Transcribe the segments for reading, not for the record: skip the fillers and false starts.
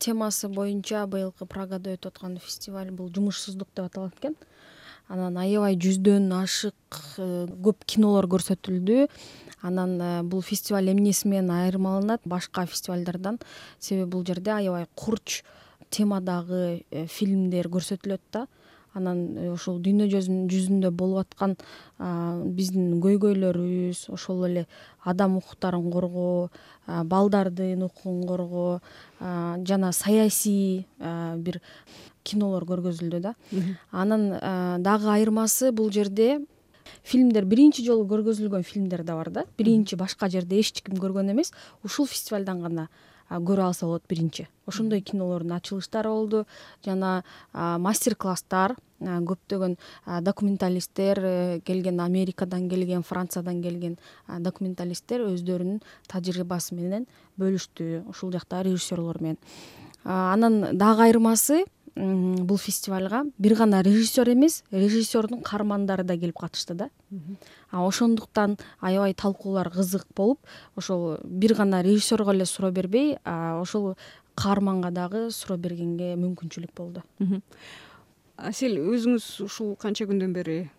темасы боюнча быйылкы Прагада өтүп аткан фестиваль бул жумушсуздук деп аталат экен. Анан аябай 100дөн ашык көп кинолор көрсөтүлдү. Анан бул фестиваль эмнеси менен айырмаланат башка фестивалдардан? Себеби бул жерде аябай курч темадагы фильмдер көрсөтүлөт да. Анан ошол дүйнө жүзүндө болуп аткан биздин көйгөйлөрүбүз, ошол эле адам укуктарын коргоо, балдардын укугун коргоо жана саясий бир кинолор көргөзүлдү да. Анан дагы айырмасы бул жерде фильмдер биринчи жолу көргөзүлгөн фильмдер да бар да. Биринчи башка жерде эч ким көргөн эмес. Ушул фестивалдан гана көрө алса болот биринчи. Ошондой кинолордун ачылыштары болду жана мастер-класстар, көптөгөн документалисттер келген, Америкадан келген, Франциядан келген документалисттер өздөрүнүн тажрыйбасы менен бөлүштү ушул жакта режиссерлор менен. Анан дагы айырмасы бул фестивалга бир гана режиссер эмес, режиссердун каармандары да келип катышты да. Ошондуктан аябай талкуулар кызык болуп, ошол бир гана режиссерго эле суроо бербей, ошол каарманга дагы суроо бергенге мүмкүнчүлүк болду. Асель, өзүңүз ушул канча күндөн бери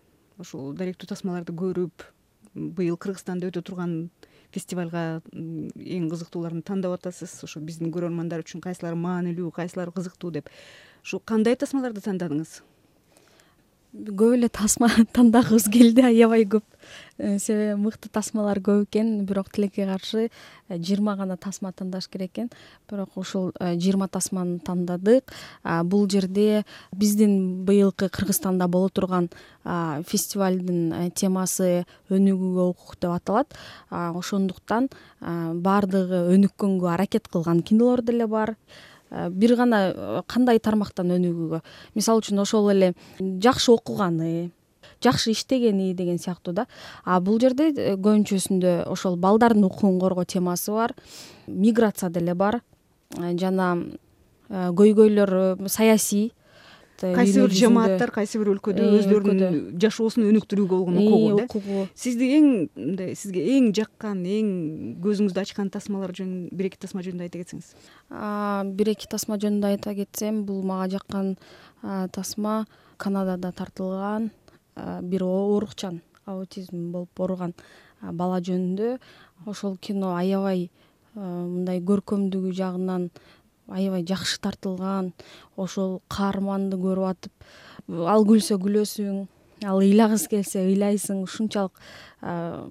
ушул даректүү тасмаларды көрүп, быйыл Кыргызстанда өтө турган фестивалга эң кызыктууларын тандап атасыз. Ошо биздин көрөрмандар үчүн кайсылары маанилүү, кайсылары кызыктуу деп. Ушу кандай тасмаларды тандадыңыз? Көп эле тасма тандагыбыз келди, аябай көп. Себеби мыкты тасмалар көп экен, бирок тилекке каршы 20 гана тасма тандаш керек экен. Бирок ушул 20 тасманы тандадык. Бул жерде биздин быйылкы Кыргызстанда боло турган фестивалдын темасы өнүгүүгө укук деп аталат. Ошондуктан баардыгы өнүккөнгө аракет кылган кинолор деле бар. Бир гана кандай тармактан өнүгүүгө, мисалы үчүн ошол эле жакшы окуганы, жакшы иштегени деген сыяктуу да. Бул жерде көбүнчөсүндө ошол балдардын укугун коргоо темасы бар, миграция деле бар жана көйгөйлөр саясий. Кайсы бир жамааттар кайсы бир өлкөдө өздөрүнүн жашоосун өнүктүрүүгө болгон укугу да. Сизге эң жаккан, эң көзүңүздү ачкан тасмалар жөнүндө бир эки тасма жөнүндө айта кетсеңиз. Бир эки тасма жөнүндө айта кетсем, бул мага жаккан тасма Канадада тартылган бир оорукчан, аутизм болуп ооруган бала жөнүндө. Ошол кино аябай мындай көркөмдүгү жагынан аябай жакшы тартылган. Ошол каарманды көрүп атып, ал күлсө күлөсүң, ал ыйлагысы келсе ыйлайсың. Ушунчалык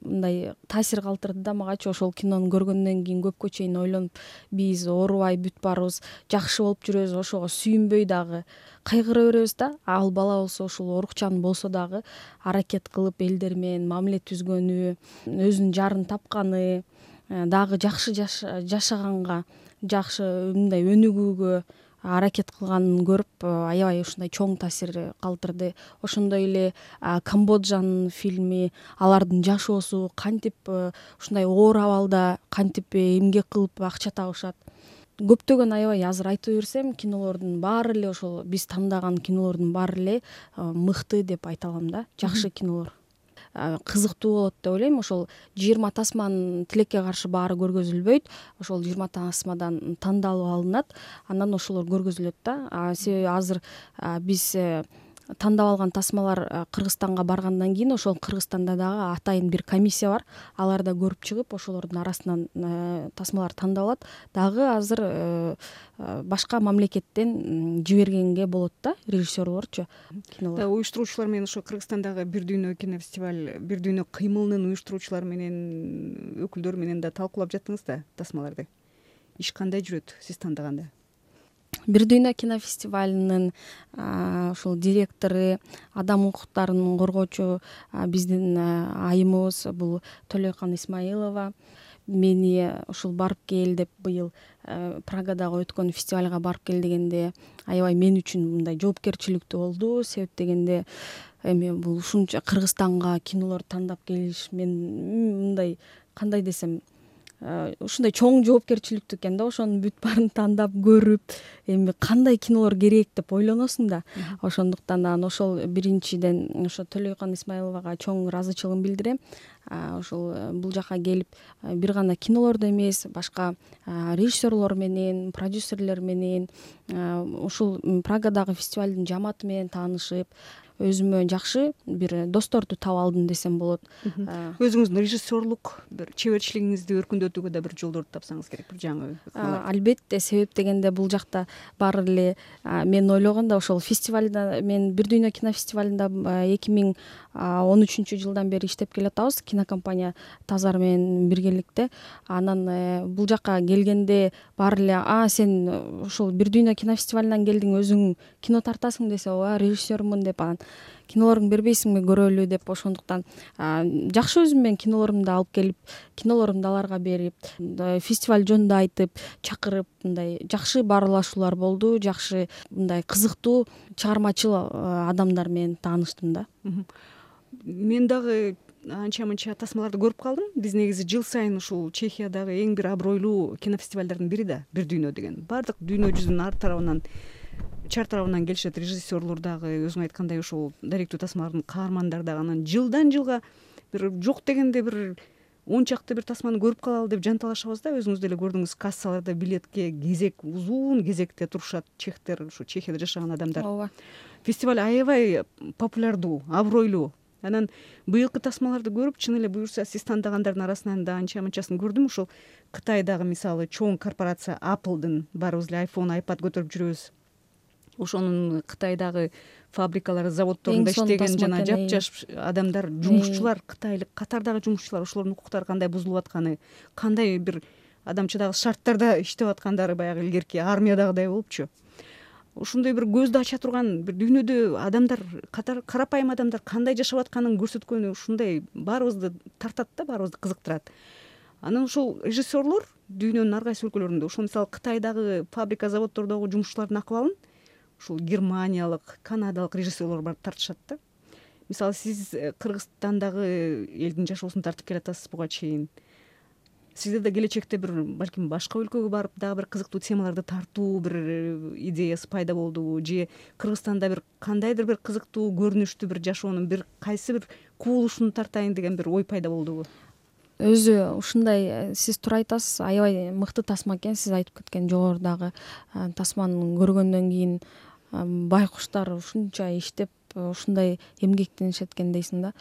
мындай таасир калтырды да магачы. Ошол кинону көргөндөн кийин көпкө чейин ойлонуп, биз оорубай бүтүп барбыз, жакшы болуп жүрөбүз, ошого сүйүнбөй дагы кайгыра беребиз да. Ал бала болсо ушул оорукчан болсо дагы аракет кылып элдер менен мамиле түзгөнү, өзүнүн жарын тапканы, дагы жакшы жашаганга, жакшы мындай өнүгүүгө аракет кылганын көрүп аябай ушундай чоң таасир калтырды. Ошондой эле Камбоджанын фильми, алардын жашоосу кантип ушундай оор абалда кантип эмгек кылып акча табышат. Көптөгөн аябай азыр айтып берсем, кинолордун баары эле ошол биз тандаган кинолордун баары эле мыкты деп айта алам да, жакшы кинолор. Кызыктуу болот деп ойлойм. Ошол 20 тасманын тилекке каршы баары көргөзүлбөйт. Ошол 20 тасмадан тандалып алынат, анан ошолор көргөзүлөт да. Себеби азыр биз тандап алган тасмалар Кыргызстанга баргандан кийин ошол Кыргызстанда дагы атайын бир комиссия бар. Алар да көрүп чыгып, ошолордун арасынан тасмалар тандалат. Дагы азыр башка мамлекеттен жибергенге болот да, режиссерлорчу кинолор. Уюштуруучулар менен ошо Кыргызстандагы Бир дүйнө кинофестиваль, Бир дүйнө кыймылынын уюштуруучулары менен, өкүлдөрү менен да талкуулап жаттыңыз да тасмаларды. Иш кандай жүрөт сиз тандаганда? Бир дүйнө кинофестивалынын ушул директору, адам укуктарын коргоочу биздин айымыбыз бул Төлөйкан Исмаилова. Мени ушул барып кел деп быйыл Прагадагы өткөн фестивалга барып кел дегенде аябай мен үчүн мындай жоопкерчиликтүү болду. Себеп дегенде эми бул ушунча Кыргызстанга кинолор тандап келиш, мен мындай кандай десем, ушундай чоң жоопкерчиликтүү экен да, ошонун бүт баарын тандап көрүп эми кандай кинолор керек деп ойлоносуң да. Ошондуктан анан ошол биринчиден ошо Төлөйкан Исмаиловага чоң ыраазычылыгымды билдирем. Ошол бул жака келип бир гана кинолорду эмес, башка режиссерлор менен, продюсерлер менен, ушул Праgadагы фестивалдын жамааты менен таанышып, өзүмө жакшы бир досторду таап алдым десем болот. Өзүңүздүн режиссерлук бир чеберчилигиңизди өркүндөтүүгө да бир жолдорду тапсаңыз керек, бир жаңы. Албетте, себеп дегенде бул жакта баары эле мен ойлогондо ошол фестивалда, мен Бир дүйнө кинофестивалында 2013 жылдан бери иштеп келатабыз, кинокомпания Тазар менен биргеликте. Анан бул жака келгенде баары эле сен ушул Бир дүйнө кинофестивалынан келдиң, өзүң кино тартасың десе, ооба режиссермун деп, анан кинолоруңду бербейсиңби көрөлү деп, ошондуктан жакшы өзүм менен кинолорумду алып келип, кинолорумду аларга берип, фестиваль жөнүндө айтып, чакырып, мындай жакшы баарлашуулар болду, жакшы мындай кызыктуу чыгармачыл адамдар менен тааныштым да. Мен дагы анча мынча тасмаларды көрүп калдым. Биз негизи жыл сайын ушул Чехиядагы эң бир абройлуу кинофестивалдардын бири да Бир дүйнө деген. Баардык дүйнө жүзүнүн ар тарабынан, чар тарабынан келишет режиссерлор дагы, өзүң айткандай ушул даректүү тасмалардын каармандары дагы. Анан жылдан жылга бир жок дегенде бир 10 чакты бир тасманы көрүп калалы деп жанталашабыз да. Өзүңүз деле көрдүңүз, кассаларда билетке кезек, узун кезекте турушат чехтер, ушу Чехияда жашаган адамдар. Ооба. Фестиваль аябай популярдуу, абройлуу. Анан быйылкы тасмаларды көрүп, чын эле буюрса сиз тандагандардын арасынан да анча мынчасын көрдүм. Ушул Кытайдагы мисалы чоң корпорация Apple'дын, баарыбыз эле iPhone, iPad көтөрүп жүрөбүз. Ошонун Кытайдагы фабрикалары, заводдорунда иштеген жана жапжаш адамдар, жумушчулар, кытайлык катардагы жумушчулар, ошолордун укуктары кандай бузулуп атканы, кандай бир адамчыдагы шарттарда иштеп аткандары баягы илгерки армиядагыдай болупчу. Ушундай бир көздү ача турган, бир дүйнөдө адамдар, карапайым адамдар кандай жашап атканын көрсөткөнү ушундай баарыбызды тартат да, баарыбызды кызыктырат. Анан ушул режиссерлор дүйнөнүн ар кайсы өлкөлөрүндө, ушул мисалы Кытайдагы фабрика, заводдордогу жумушчулардын акыбалын ушул германиялык, канадалык режиссерлор барып тартышат да. Мисалы сиз Кыргызстандагы элдин жашоосун тартып келатасыз буга чейин. Сизде да келечекте бир балким башка өлкөгө барып дагы бир кызыктуу темаларды тартуу бир идеясы пайда болдубу, же Кыргызстанда бир кандайдыр бир кызыктуу көрүнүштүү бир жашоонун бир кайсы бир кубулушун тартайын деген бир ой пайда болдубу? Өзү ушундай, сиз туура айтасыз, аябай мыкты тасма экен. Сиз айтып кеткен жогорудагы тасманы көргөндөн кийин байкуштар ушунча иштеп, ушундай эмгектенишет экен дейсиң да.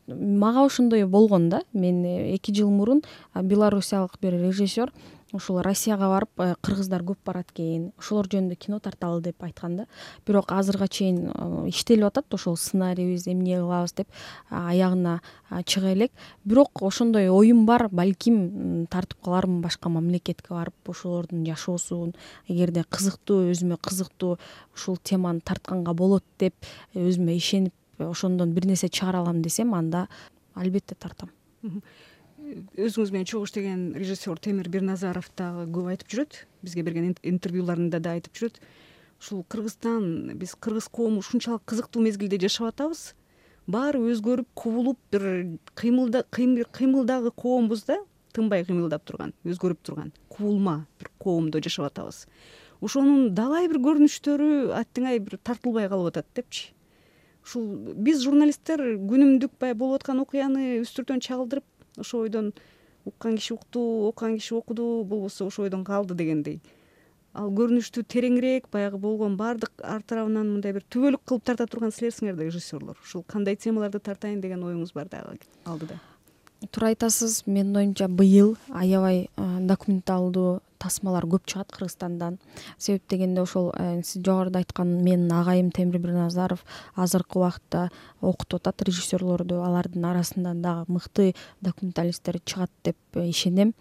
Мага ошондой болгон да. Мен 2 жыл мурун белоруссиялык бир режиссер ушул Россияга барып, кыргыздар көп барат экен, ошолор жөнүндө кино тарталы деп айткан да. Бирок азырга чейин иштелип атат, ошол сценарийибиз эмне кылабыз деп аягына чыга элек. Бирок ошондой оюм бар, балким тартып калармын башка мамлекетке барып, ошолордун жашоосун, эгерде кызыктуу, өзүмө кызыктуу ушул теманы тартканга болот деп өзүмө ишенип, ошондон бир нерсе чыгара алам десем, анда албетте тартам. Өзүңүз менен чогуу иштеген режиссер Темир Бирназаров дагы көп айтып жүрөт, бизге берген интервьюларында да айтып жүрөт. Ушул Кыргызстан, биз кыргыз коому ушунчалык кызыктуу мезгилде жашап атабыз. Баары өзгөрүп, кубулуп, бир кыймылдагы коомбуз да, тынбай кыймылдап турган, өзгөрүп турган, кубулма бир коомдо жашап атабыз. Ошонун далай бир көрүнүштөрү аттиңай бир тартылбай калып атат депчи. Ушул биз журналисттер күнүмдүк баягы болуп аткан окуяны үстүртөн чагылдырып, ошо ойдон уккан киши укту, окуган киши окуду, болбосо ошо ойдон калды дегендей. Ал көрүнүштү тереңирээк, баягы болгон баардык ар тарабынан мындай бир түбөлүк кылып тарта турган силерсиңер да, режиссерлор. Ушул кандай темаларды тартайын деген оюңуз бар дагы алдыда? Туура айтасыз. Менин оюмча быйыл аябай документалдуу тасмалар көп чыгат Кыргызстандан. Себеп дегенде ошол сиз жогоруда айткан менин агайым Темир Бирназаров азыркы убакытта окутуп атат режиссерлорду. Алардын арасында дагы мыкты документалисттер чыгат деп ишенем.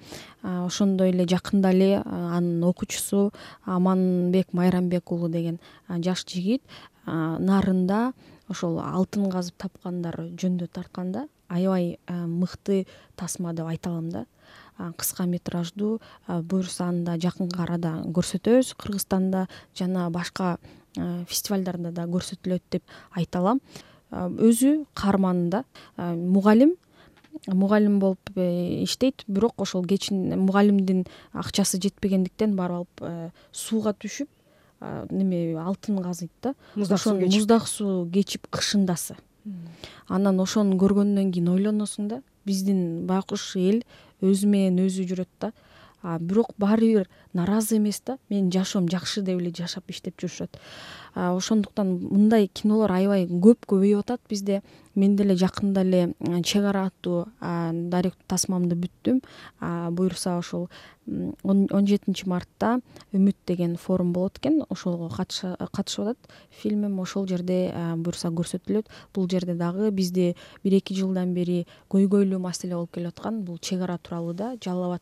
Ошондой эле жакында эле анын окуучусу Аманбек Майрамбек уулу деген жаш жигит Нарында ошол алтын казып тапкандар жөнүндө тартканда аябай мыкты тасма деп айта алам да. Кыска метраждуу, буюрса аны да жакынкы арада көрсөтөбүз Кыргызстанда жана башка фестивалдарда да көрсөтүлөт деп айта алам. Өзү каарманында мугалим, мугалим болуп иштейт, бирок ошол кечин мугалимдин акчасы жетпегендиктен барып алып сууга түшүп неме алтын казыйт да. Муздак суу кечип кышындасы. Анан ошону көргөндөн кийин ойлоносуң да, биздин байкуш эл өзү менен өзү жүрөт да, бирок баары бир нааразы эмес да, менин жашоом жакшы деп эле жашап иштеп жүрүшөт. Ошондуктан мындай кинолор аябай көп көбөйүп атат бизде. Мен деле жакында эле Чек ара аттуу даректүү тасмамды бүттүм. Буюрса ошол 17 мартта Үмүт деген форум болот экен, ошого катышып атат фильмим. Ошол жерде буюрса көрсөтүлөт. Бул жерде дагы бизде 1-2 жылдан бери көйгөйлүү маселе болуп келаткан бул чек ара тууралуу да. Жалал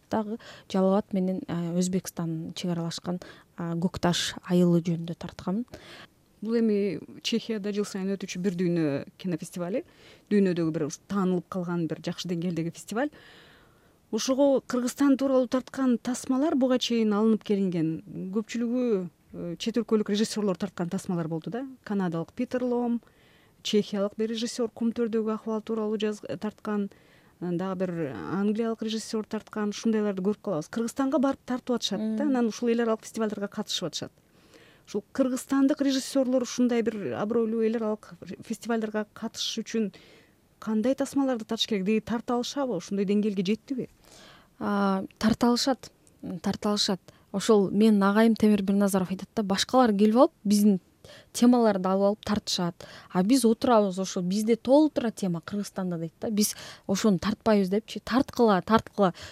Абад менен Өзбекстан чек аралашкан Көк таш айылы жөнүндө тартканмын. Бул эми Чехияда жыл сайын өтүүчү бир дүйнө кинофестивали, дүйнөдөгү бир таанылып калган бир жакшы деңгээлдеги фестиваль. Ошого Кыргызстан тууралуу тарткан тасмалар буга чейин алынып келинген. Көпчүлүгү чет өлкөлүк режиссерлор тарткан тасмалар болду да. Канадалык Питер Лом, чехиялык бир режиссер кум төрдөгү акыбал тууралуу тарткан, дагы бир англиялык режиссер тарткан, ушундайларды көрүп калабыз. Кыргызстанга барып тартып атышат да, анан ушул эл аралык фестивалдарга катышып атышат. Ушул кыргызстандык режиссерлор ушундай бир абройлуу эл аралык фестивалдарга катышыш үчүн кандай тасмаларды тартыш керек? Деги тарта алышабы? Ушундай деңгээлге жеттиби? Тарта алышат. Ошол менин агайым Темир Бирназаров айтат да, башкалар келип алып биздин темаларды алып алып тартышат. Биз отурабыз, ошо бизде толтура тема Кыргызстанда дейт да. Биз ошону тартпайбыз депчи. Тарткыла.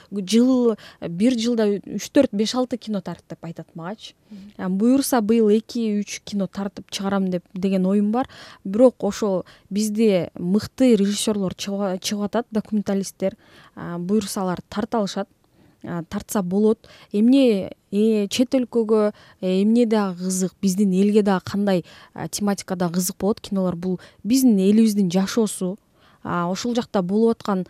Бир жылда 3, 4, 5, 6 кино тарт деп айтат магачы. Буюрса быйыл 2-3 кино тартып чыгарам деген оюм бар. Бирок ошол бизде мыкты режиссерлор чыгып атат, документалисттер. Буюрса алар тарта алышат. Тартса болот. Эмне чет өлкөгө эмне дагы кызык, биздин элге дагы кандай тематикада кызык болот кинолор, бул биздин элибиздин жашоосу. Ошол жакта болуп аткан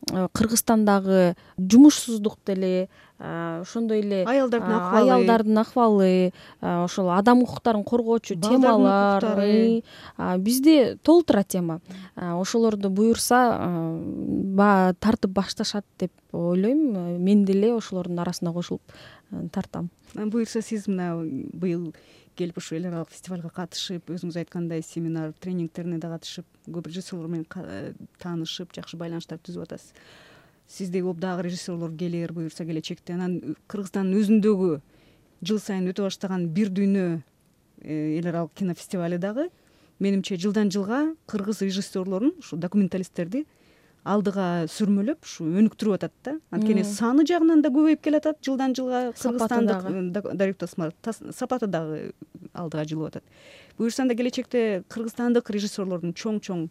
Кыргызстандагы жумушсуздук деле, ошондой эле аялдардын акыбалы, ошол адам укуктарын коргоочу темалар бизде толтура тема. Ошолорду буюрса тартып башташат деп ойлойм. Мен деле ошолордун арасына кошулуп тартам. Буюрса сиз мына быйыл келип ушу эл аралык фестивалга катышып, өзүңүз айткандай семинар, тренингтерине да катышып, көп режиссерлор менен таанышып, жакшы байланыштарды түзүп атасыз. Сиздей болуп дагы режиссерлор келер, буюрса келечекте. Анан Кыргызстандын өзүндөгү жыл сайын өтө баштаган бир дүйнө эл аралык кинофестивали дагы менимче жылдан жылга кыргыз режиссерлорун, ушу документалисттерди алдыга сүрмөлөп, ушу өнүктүрүп атат да. Анткени саны жагынан да көбөйүп келатат жылдан жылга. Кыргызстандык даректүү сапаты дагы алдыга жылып атат. Буюрса да келечекте кыргызстандык режиссерлордун чоң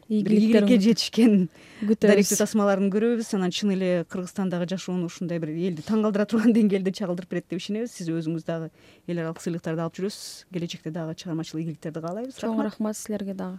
ийгиликке жетишкен даректүү тасмаларын көрөбүз. Анан чын эле Кыргызстандагы жашоону ушундай бир элди таң калтыра турган деңгээлде чагылдырып берет деп ишенебиз. Сиз өзүңүз дагы эл аралык сыйлыктарды алып жүрөсүз. Келечекте дагы чыгармачылык ийгиликтерди каалайбыз. Чоң рахмат силерге дагы.